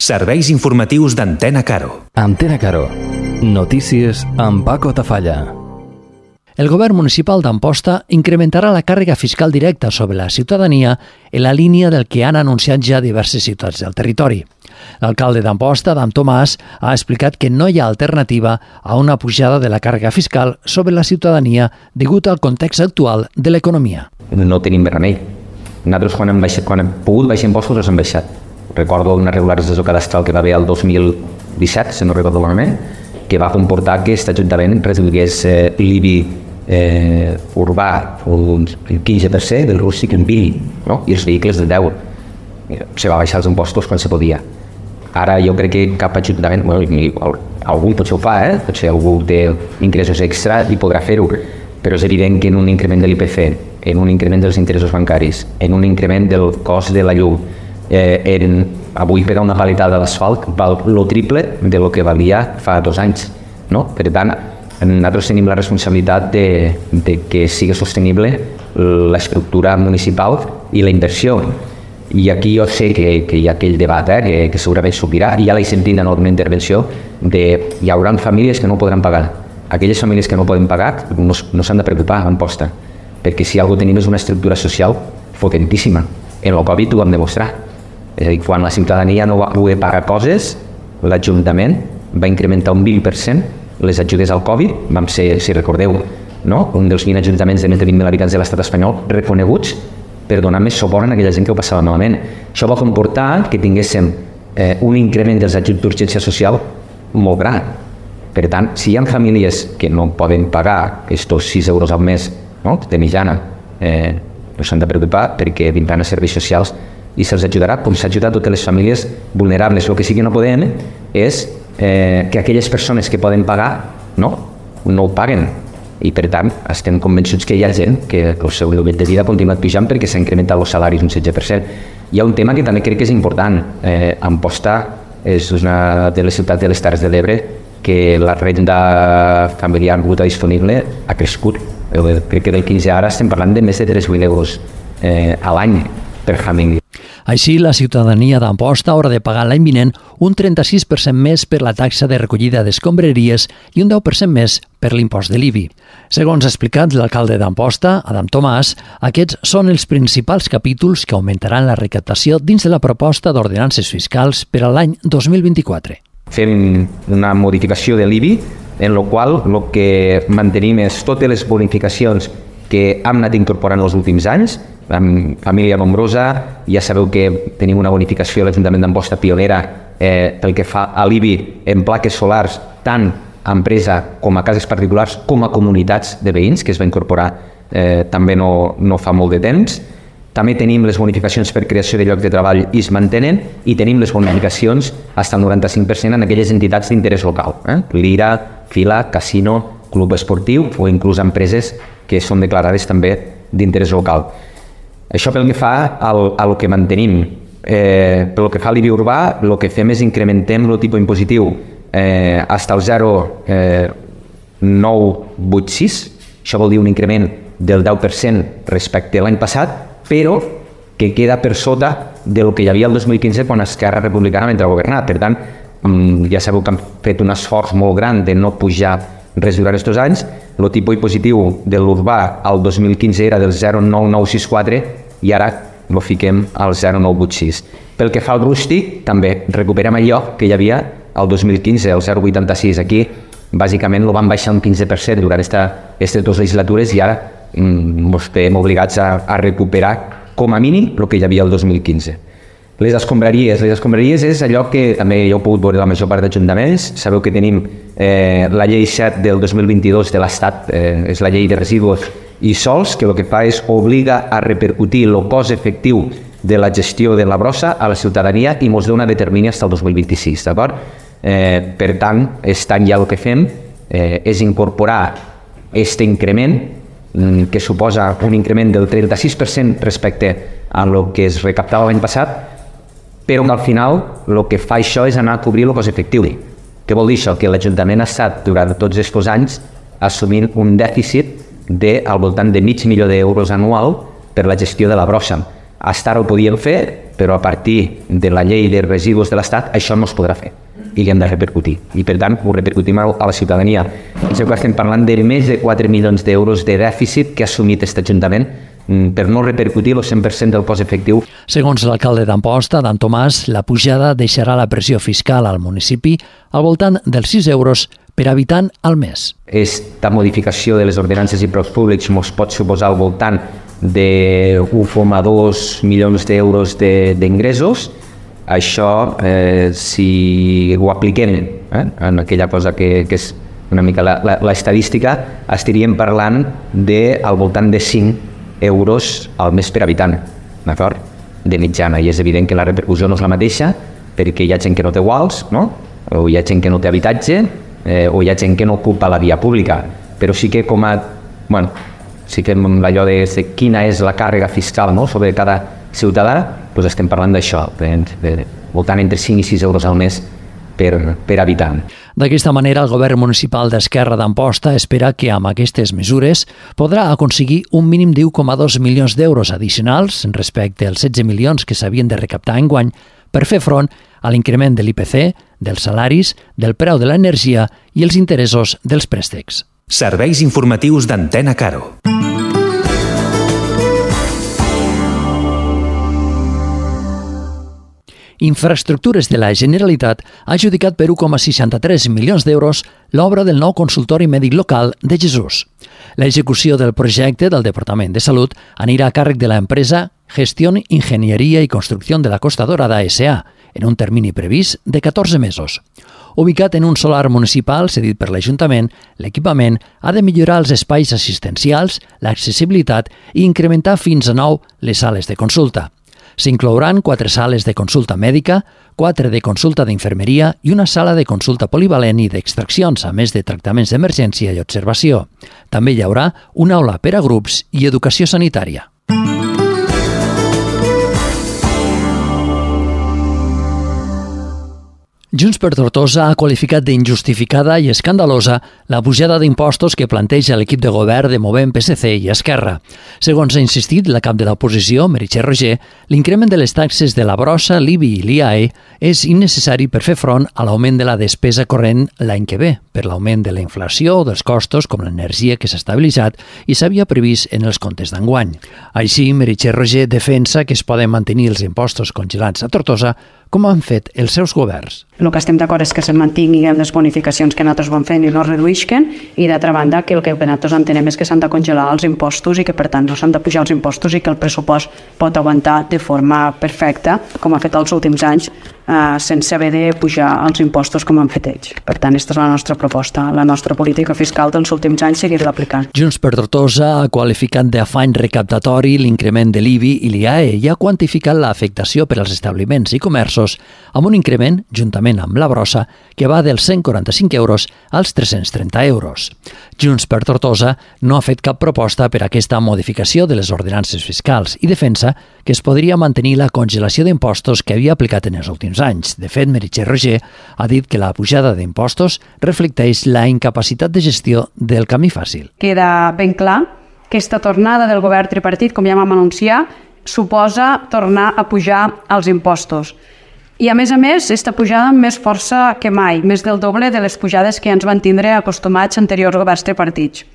Serveis informatius d'Antena Caro. Antena Caro. Notícies amb Paco Tafalla. El govern municipal d'Amposta incrementarà la càrrega fiscal directa sobre la ciutadania en la línia del que han anunciat ja diverses ciutats del territori. L'alcalde d'Amposta, Adam Tomàs, ha explicat que no hi ha alternativa a una pujada de la càrrega fiscal sobre la ciutadania degut al context actual de l'economia. No tenim remei. Nosaltres quan hem pogut baixar impostos els hem baixat. Recordo una regularització cadastral que va haver el 2017, si no recordo malament, que va comportar que aquest Ajuntament reduís l'IBI urbà un 15%, del rústic un 20%, no? I els vehicles de 10%. Se va baixar els impostos quan se podia. Ara jo crec que cap Ajuntament, algun potser ho fa, potser algú té ingressos extra i podrà fer-ho, però és evident que en un increment de l'IPC, en un increment dels interessos bancaris, en un increment del cost de la llum, avui per a una paletada d'asfalt val el triple de lo que valia fa 2 anys. No? Per tant, nosaltres tenim la responsabilitat de que sigui sostenible l'estructura municipal i la inversió. I aquí jo sé que hi ha aquell debat que segurament sortirà, i ja l'he sentit en alguna intervenció, hi haurà famílies que no podran pagar. Aquelles famílies que no poden pagar no s'han de preocupar en Amposta, perquè si alguna cosa tenim és una estructura social potentíssima. En el Covid ho vam demostrar. És a dir, quan la ciutadania no va poder pagar coses, l'Ajuntament va incrementar un 20% les ajudes al Covid. Vam ser, si recordeu, un dels 20 ajuntaments de més de 20.000 habitants de l'estat espanyol reconeguts per donar més suport a aquella gent que ho passava malament. Això va comportar que tinguéssim un increment dels ajuts d'urgència social molt gran. Per tant, si hi ha famílies que no poden pagar aquests 6 euros al mes de mitjana, no s'han de preocupar perquè vindran a serveis socials i se'ls ajudarà, com s'ha ajudat totes les famílies vulnerables. El que sí que no podem és que aquelles persones que poden pagar no ho paguen. I per tant, estem convençuts que hi ha gent que el seu nivell de vida ha continuat pujant perquè s'ha incrementat els salaris un 16%. Hi ha un tema que també crec que és important. Amposta és una de les ciutats de les Terres de l'Ebre que la renda familiar bruta disponible ha crescut. Crec que del 15 ara estem parlant de més de 3.000 euros a l'any per família. Així, la ciutadania d'Amposta haurà de pagar l'any vinent un 36% més per la taxa de recollida d'escombraries i un 10% més per l'impost de l'IBI. Segons ha explicat l'alcalde d'Amposta, Adam Tomàs, aquests són els principals capítols que augmentaran la recaptació dins de la proposta d'ordenances fiscals per a l'any 2024. Fem una modificació de l'IBI en la qual el que mantenim és totes les bonificacions que hem anat incorporant els últims anys. Amb família nombrosa, ja sabeu que tenim una bonificació a l'Ajuntament d'Amposta pionera pel que fa a l'IBI en plaques solars, tant a empresa com a cases particulars com a comunitats de veïns, que es va incorporar també no fa molt de temps. També tenim les bonificacions per creació de llocs de treball i es mantenen, i tenim les bonificacions fins al 95% en aquelles entitats d'interès local. Lira, Fila, Casino, Club Esportiu o inclús empreses que són declarades també d'interès local. Això pel que fa al que mantenim. Pel que fa a l'IBI urbà, el que fem és incrementem el tipus impositiu fins al 0,986. Això vol dir un increment del 10% respecte a l'any passat, però que queda per sota del que hi havia el 2015 quan Esquerra Republicana va entrar a governar. Per tant, ja sabeu que han fet un esforç molt gran de no pujar res durant aquests anys. El tipus impositiu de l'urbà al 2015 era del 0,9964 i ara el fiquem al 0,986. Pel que fa al rústic, també recuperem allò que hi havia al 2015, el 0,86. Aquí, bàsicament, el van baixar un 15% durant aquestes 2 legislatures i ara estem obligats a recuperar com a mínim el que hi havia el 2015. Les escombraries és allò que també ja heu pogut veure la major part d'ajuntaments. Sabeu que tenim la llei 7 del 2022 de l'Estat, és la llei de residus i sols, que el que fa és obliga a repercutir el cost efectiu de la gestió de la brossa a la ciutadania i ens dona determini fins al 2026, d'acord? Per tant, aquest any ja el que fem és incorporar aquest increment, que suposa un increment del 36% respecte a el que es recaptava l'any passat, però que al final el que fa això és anar a cobrir el cost efectiu. Què vol dir això? Que l'Ajuntament ha estat durant tots aquests anys assumint un dèficit al voltant de $500.000 anual per la gestió de la brossa. Fins ara ho podíem fer però a partir de la llei de residus de l'Estat això no es podrà fer i li hem de repercutir. I per tant ho repercutim a la ciutadania. Penseu que estem parlant de més de 4 milions d'euros de dèficit que ha assumit aquest Ajuntament per no repercutir el 100% del cost efectiu. Segons l'alcalde d'Amposta, Dan Tomàs, la pujada deixarà la pressió fiscal al municipi al voltant dels 6 euros per habitant al mes. Esta modificació de les ordenances i preus públics ens pot suposar al voltant de 1,2 milions d'euros d'ingressos. Això, si ho apliquem en aquella cosa que és una mica l'estadística, estaríem parlant al voltant de 5 euros al mes per habitant, d'acord? De mitjana. I és evident que la repercussió no és la mateixa perquè hi ha gent que no té guals, no? O hi ha gent que no té habitatge, o hi ha gent que no ocupa la via pública. Però sí que si fem allò de quina és la càrrega fiscal, no?, sobre cada ciutadà, doncs estem parlant d'això, voltant entre 5 i 6 euros al mes per habitant. D'aquesta manera, el govern municipal d'Esquerra d'Amposta espera que amb aquestes mesures podrà aconseguir un mínim de 1,2 milions d'euros addicionals respecte als 16 milions que s'havien de recaptar enguany per fer front a l'increment de l'IPC, dels salaris, del preu de l'energia i els interessos dels préstecs. Serveis informatius d'Antena Caro. Infraestructures de la Generalitat ha adjudicat per 1,63 milions d'euros l'obra del nou consultori mèdic local de Jesús. L'execució del projecte del Departament de Salut anirà a càrrec de l'empresa Gestión, Ingeniería y Construcción de la Costa Dorada S.A., en un termini previst de 14 mesos. Ubicat en un solar municipal cedit per l'Ajuntament, l'equipament ha de millorar els espais assistencials, l'accessibilitat i incrementar fins a 9 les sales de consulta. S'inclouran 4 sales de consulta mèdica, 4 de consulta d'infermeria i una sala de consulta polivalent i d'extraccions, a més de tractaments d'emergència i observació. També hi haurà una aula per a grups i educació sanitària. Junts per Tortosa ha qualificat d'injustificada i escandalosa la pujada d'impostos que planteja l'equip de govern de Movem PSC i Esquerra. Segons ha insistit la cap de l'oposició, Meritxell Roger, l'increment de les taxes de la brossa, l'IBI i l'IAE és innecessari per fer front a l'augment de la despesa corrent l'any que ve, per l'augment de la inflació o dels costos com l'energia que s'ha estabilitzat i s'havia previst en els comptes d'enguany. Així, Meritxell Roger defensa que es poden mantenir els impostos congelats a Tortosa com han fet els seus governs. El que estem d'acord és que se mantinguin les bonificacions que nosaltres vam fent i no es reduïsquen, i d'altra banda que el que nosaltres entenem és que s'han de congelar els impostos i que per tant no s'han de pujar els impostos i que el pressupost pot aguantar de forma perfecta, com ha fet els últims anys, sense haver de pujar els impostos com han fet ells. Per tant, aquesta és la nostra proposta. La nostra política fiscal dels últims anys seguirà aplicant. Junts per Tortosa ha qualificat d'afany recaptatori l'increment de l'IBI i l'IAE i ha quantificat l'afectació per als establiments i comerços amb un increment, juntament amb la brossa, que va dels 145 euros als 330 euros. Junts per Tortosa no ha fet cap proposta per a aquesta modificació de les ordenances fiscals i defensa que es podria mantenir la congelació d'impostos que havia aplicat en els últims anys. De fet, Meritxell Roger ha dit que la pujada d'impostos reflecteix la incapacitat de gestió del camí fàcil. Queda ben clar que aquesta tornada del govern tripartit, com ja vam anunciar, suposa tornar a pujar els impostos. I a més, aquesta pujada amb més força que mai, més del doble de les pujades que ens van tindre acostumats anteriors governs tripartits.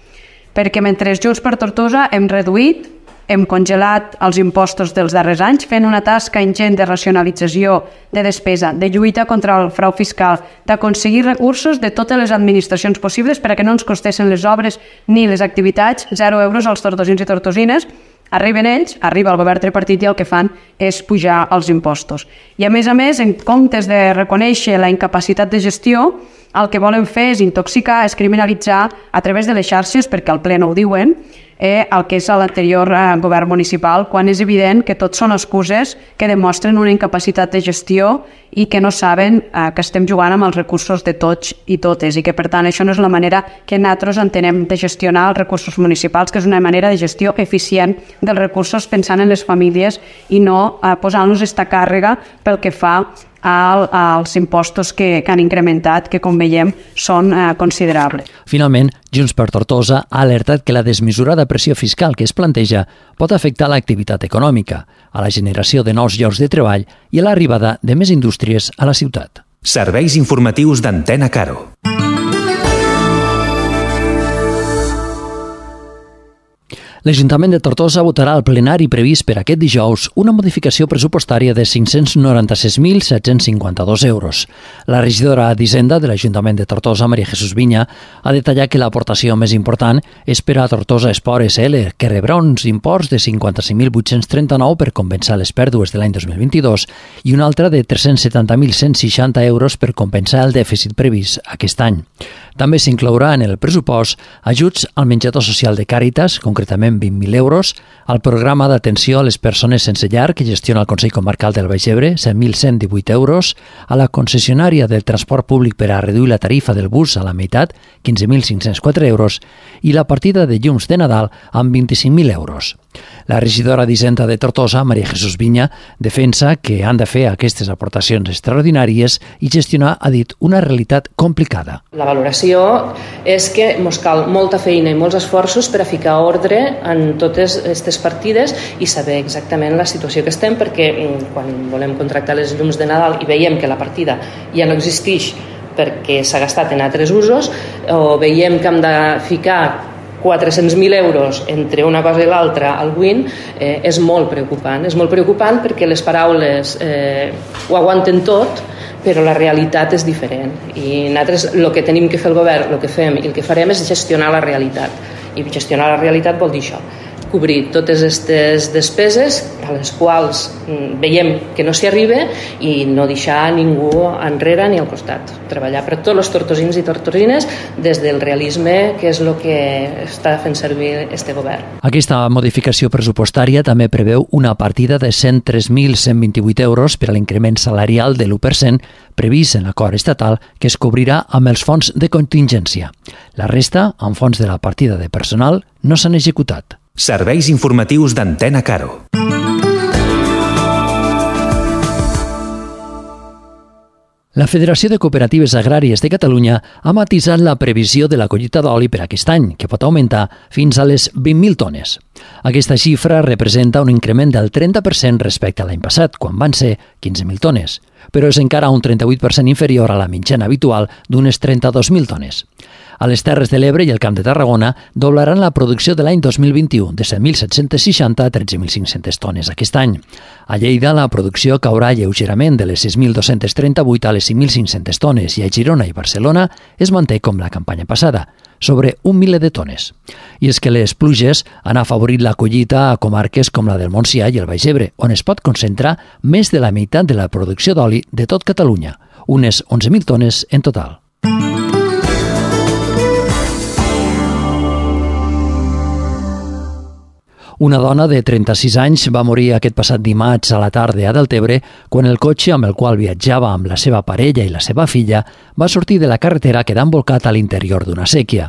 Perquè mentre Junts per Tortosa hem reduït, hem congelat els impostos dels darrers anys, fent una tasca ingent de racionalització de despesa, de lluita contra el frau fiscal, d'aconseguir recursos de totes les administracions possibles perquè no ens costessin les obres ni les activitats, 0 euros als tortosins i tortosines. Arriben ells, arriba el govern tripartit i el que fan és pujar els impostos. I a més, en comptes de reconèixer la incapacitat de gestió, el que volen fer és intoxicar, és criminalitzar a través de les xarxes, perquè al ple no ho diuen, el que és l'anterior govern municipal, quan és evident que tot són excuses que demostren una incapacitat de gestió i que no saben que estem jugant amb els recursos de tots i totes i que per tant això no és la manera que nosaltres entenem de gestionar els recursos municipals, que és una manera de gestió eficient dels recursos pensant en les famílies i no posant-nos aquesta càrrega pel que fa als impostos que han incrementat, que com veiem són considerables. Finalment, Junts per Tortosa ha alertat que la desmesurada pressió fiscal que es planteja pot afectar l'activitat econòmica, a la generació de nous llocs de treball i a l'arribada de més indústries a la ciutat. Serveis informatius d'Antena Caro. L'Ajuntament de Tortosa votarà al plenari previst per aquest dijous una modificació pressupostària de 596.752 euros. La regidora d'Hisenda de l'Ajuntament de Tortosa, Maria Jesús Viña, ha detallat que l'aportació més important és per a Tortosa Esport SL, que rebrà uns imports de 55.839 per compensar les pèrdues de l'any 2022 i una altra de 370.160 euros per compensar el dèficit previst aquest any. També s'inclourà en el pressupost ajuts al menjador social de Càritas, concretament 20.000 euros, al programa d'atenció a les persones sense llar que gestiona el Consell Comarcal del Baix Ebre, 7.118 euros, a la concessionària del transport públic per a reduir la tarifa del bus a la meitat, 15.504 euros, i la partida de llums de Nadal amb 25.000 euros. La regidora d'Hisenda de Tortosa, Maria Jesús Viña, defensa que han de fer aquestes aportacions extraordinàries i gestionar, ha dit, una realitat complicada. La valoració és que ens cal molta feina i molts esforços per a ficar ordre en totes aquestes partides i saber exactament la situació que estem, perquè quan volem contractar les llums de Nadal i veiem que la partida ja no existeix perquè s'ha gastat en altres usos, o veiem que hem de ficar 400.000 euros entre una cosa i l'altra al WIN, és molt preocupant. És molt preocupant perquè les paraules ho aguanten tot, però la realitat és diferent. I nosaltres el que tenim que fer el govern, el que fem i el que farem és gestionar la realitat. I gestionar la realitat vol dir això, cobrir totes aquestes despeses a les quals veiem que no s'hi arriba i no deixar ningú enrere ni al costat. Treballar per tots els tortosins i tortosines des del realisme, que és el que està fent servir este govern. Aquesta modificació pressupostària també preveu una partida de 103.128 euros per a l'increment salarial de l'1% previst en l'acord estatal, que es cobrirà amb els fons de contingència. La resta, amb fons de la partida de personal, no s'han executat. Serveis informatius d'Antena Caro. La Federació de Cooperatives Agràries de Catalunya ha matisat la previsió de la collita d'oli per aquest any, que pot augmentar fins a les 20.000 tones. Aquesta xifra representa un increment del 30% respecte a l'any passat, quan van ser 15.000 tones, però és encara un 38% inferior a la mitjana habitual d'unes 32.000 tones. A les Terres de l'Ebre i el Camp de Tarragona doblaran la producció de l'any 2021, de 7.760 a 13.500 tones aquest any. A Lleida la producció caurà lleugerament de les 6.238 a les 5.500 tones i a Girona i Barcelona es manté com la campanya passada, sobre 1 miler de tones. I és que les pluges han afavorit la collita a comarques com la del Montsià i el Baix Ebre, on es pot concentrar més de la meitat de la producció d'oli de tot Catalunya, unes 11.000 tones en total. Una dona de 36 anys va morir aquest passat dimarts a la tarda a Deltebre quan el cotxe amb el qual viatjava amb la seva parella i la seva filla va sortir de la carretera quedant bolcat a l'interior d'una séquia.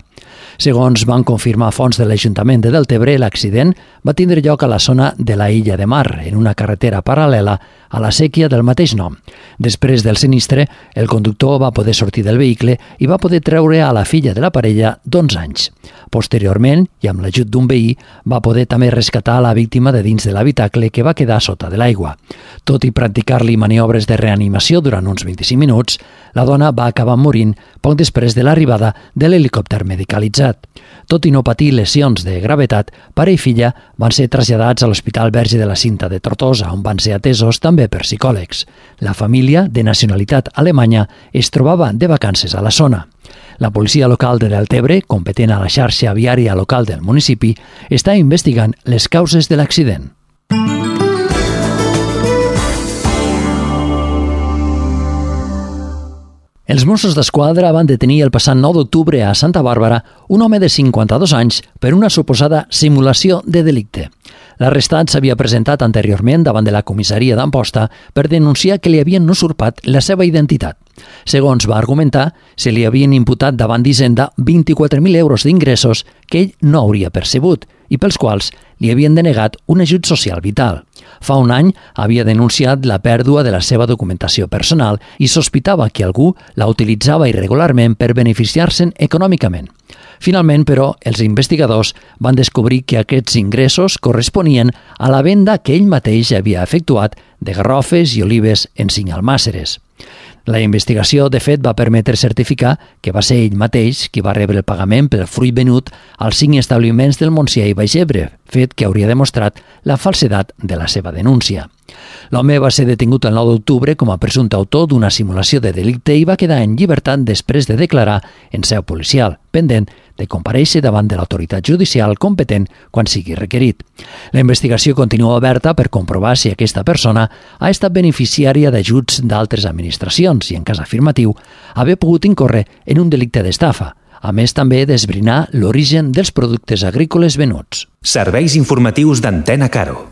Segons van confirmar fonts de l'Ajuntament de Deltebre, l'accident va tindre lloc a la zona de la Illa de Mar, en una carretera paral·lela a la séquia del mateix nom. Després del sinistre, el conductor va poder sortir del vehicle i va poder treure a la filla de la parella d'11 anys. Posteriorment, i amb l'ajut d'un veí, va poder també rescatar a la víctima de dins de l'habitacle que va quedar sota de l'aigua. Tot i practicar-li maniobres de reanimació durant uns 25 minuts, la dona va acabar morint poc després de l'arribada de l'helicòpter medicalitzat. Tot i no patir lesions de gravetat, pare i filla van ser traslladats a l'Hospital Verge de la Cinta de Tortosa, on van ser atesos també per psicòlegs. La família, de nacionalitat alemanya, es trobava de vacances a la zona. La policia local de Deltebre, competent a la xarxa viària local del municipi, està investigant les causes de l'accident. Els Mossos d'Esquadra van detenir el passat 9 d'octubre a Santa Bàrbara un home de 52 anys per una suposada simulació de delicte. L'arrestat s'havia presentat anteriorment davant de la comissaria d'Amposta per denunciar que li havien usurpat la seva identitat. Segons va argumentar, se li havien imputat davant d'Hisenda 24.000 euros d'ingressos que ell no hauria percebut i pels quals li havien denegat un ajut social vital. Fa un any havia denunciat la pèrdua de la seva documentació personal i sospitava que algú la utilitzava irregularment per beneficiar-se'n econòmicament. Finalment, però, els investigadors van descobrir que aquests ingressos corresponien a la venda que ell mateix havia efectuat de garrofes i olives en 5 almàsseres. La investigació, de fet, va permetre certificar que va ser ell mateix qui va rebre el pagament pel fruit venut als 5 establiments del Montsià i Baix Ebre, fet que hauria demostrat la falsedat de la seva denúncia. L'home va ser detingut el 9 d'octubre com a presumpte autor d'una simulació de delicte i va quedar en llibertat després de declarar en seu policial, pendent de comparèixer davant de l'autoritat judicial competent quan sigui requerit. La investigació continua oberta per comprovar si aquesta persona ha estat beneficiària d'ajuts d'altres administracions i, en cas afirmatiu, haver pogut incórrer en un delicte d'estafa, a més també d'esbrinar l'origen dels productes agrícoles venuts. Serveis informatius d'Antena Caro.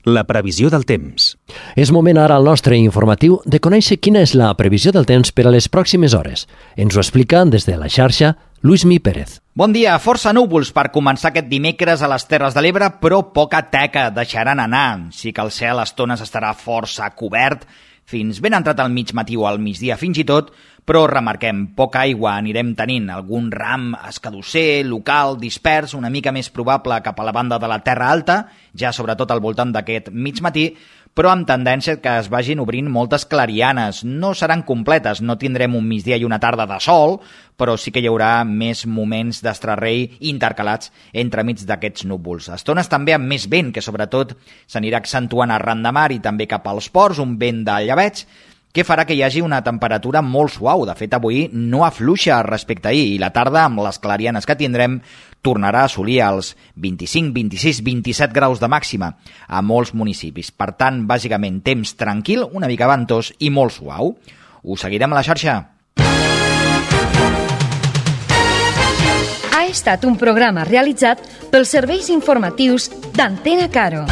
La previsió del temps. És moment ara al nostre informatiu de conèixer quina és la previsió del temps per a les pròximes hores. Ens ho explica des de la xarxa Luismi Pérez. Bon dia, força núvols per començar aquest dimecres a les Terres de l'Ebre, però poca teca deixaran anar. Sí que el cel a estones estarà força cobert, fins ben entrat al mig matí o al migdia fins i tot, però remarquem, poca aigua anirem tenint, algun ram escadusser, local, dispers, una mica més probable cap a la banda de la Terra Alta, ja sobretot al voltant d'aquest mig matí, però amb tendència que es vagin obrint moltes clarianes. No seran completes, no tindrem un migdia i una tarda de sol, però sí que hi haurà més moments d'estrarrei intercalats entremig d'aquests núvols. Estones també amb més vent, que sobretot s'anirà accentuant arran de mar i també cap als ports, un vent de llebeig, que farà que hi hagi una temperatura molt suau. De fet, avui no afluixa respecte a ahir i la tarda, amb les clarianes que tindrem, tornarà a assolir els 25, 26, 27 graus de màxima a molts municipis. Per tant, bàsicament, temps tranquil, una mica ventós i molt suau. Us seguirem a la xarxa. Ha estat un programa realitzat pels serveis informatius d'Antena Caro.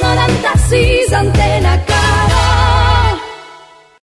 96 Antena.